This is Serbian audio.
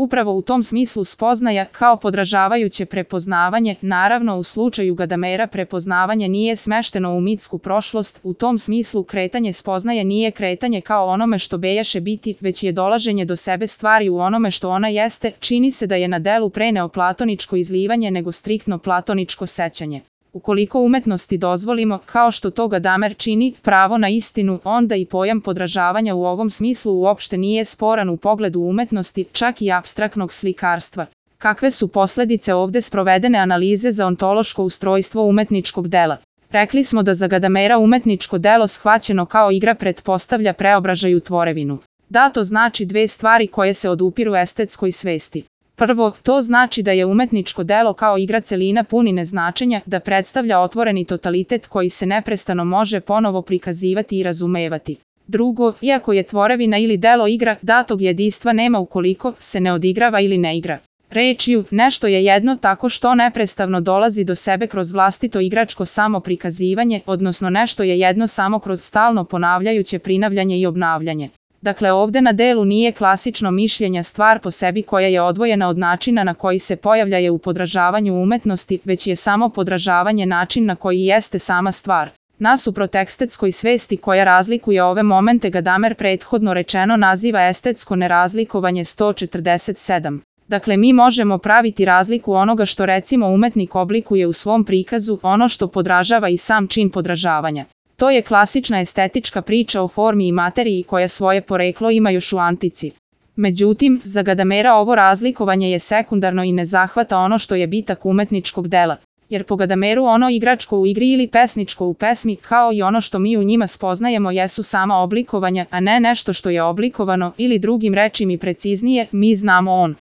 Upravo u tom smislu spoznaja, kao podražavajuće prepoznavanje, naravno u slučaju Gadamera prepoznavanje nije smešteno u mitsku prošlost, u tom smislu kretanje spoznaje nije kretanje kao onome što bejaše biti, već je dolaženje do sebe stvari u onome što ona jeste, čini se da je na delu pre neoplatoničko izlivanje nego striktno platoničko sećanje. Ukoliko umetnosti dozvolimo, kao što to Gadamer čini, pravo na istinu, onda i pojam podražavanja u ovom smislu uopšte nije sporan u pogledu umetnosti, čak i apstraktnog slikarstva. Kakve su posledice ovde sprovedene analize za ontološko ustrojstvo umetničkog dela? Rekli smo da za Gadamera umetničko delo shvaćeno kao igra pretpostavlja preobražaj u tvorevinu. Da, to znači dve stvari koje se odupiru estetskoj svesti. Prvo, to znači da je umetničko delo kao igra celina punine značenja, da predstavlja otvoreni totalitet koji se neprestano može ponovo prikazivati i razumevati. Drugo, iako je tvorevina ili delo igra, datog jedinstva nema ukoliko se ne odigrava ili ne igra. Rečju, nešto je jedno tako što neprestavno dolazi do sebe kroz vlastito igračko samoprikazivanje, odnosno nešto je jedno samo kroz stalno ponavljajuće prinavljanje i obnavljanje. Dakle, ovde na delu nije klasično mišljenja stvar po sebi koja je odvojena od načina na koji se pojavlja u podražavanju umetnosti, već je samo podražavanje način na koji jeste sama stvar. Nasuprot estetskoj svesti koja razlikuje ove momente Gadamer prethodno rečeno naziva estetsko nerazlikovanje 147. Dakle, mi možemo praviti razliku onoga što recimo umetnik oblikuje u svom prikazu, ono što podražava i sam čin podražavanja. To je klasična estetička priča o formi i materiji koja svoje poreklo ima još u antici. Međutim, za Gadamera ovo razlikovanje je sekundarno i ne zahvata ono što je bitak umetničkog dela. Jer po Gadameru ono igračko u igri ili pesničko u pesmi, kao i ono što mi u njima spoznajemo jesu sama oblikovanja, a ne nešto što je oblikovano, ili drugim rečima i preciznije, mi znamo on.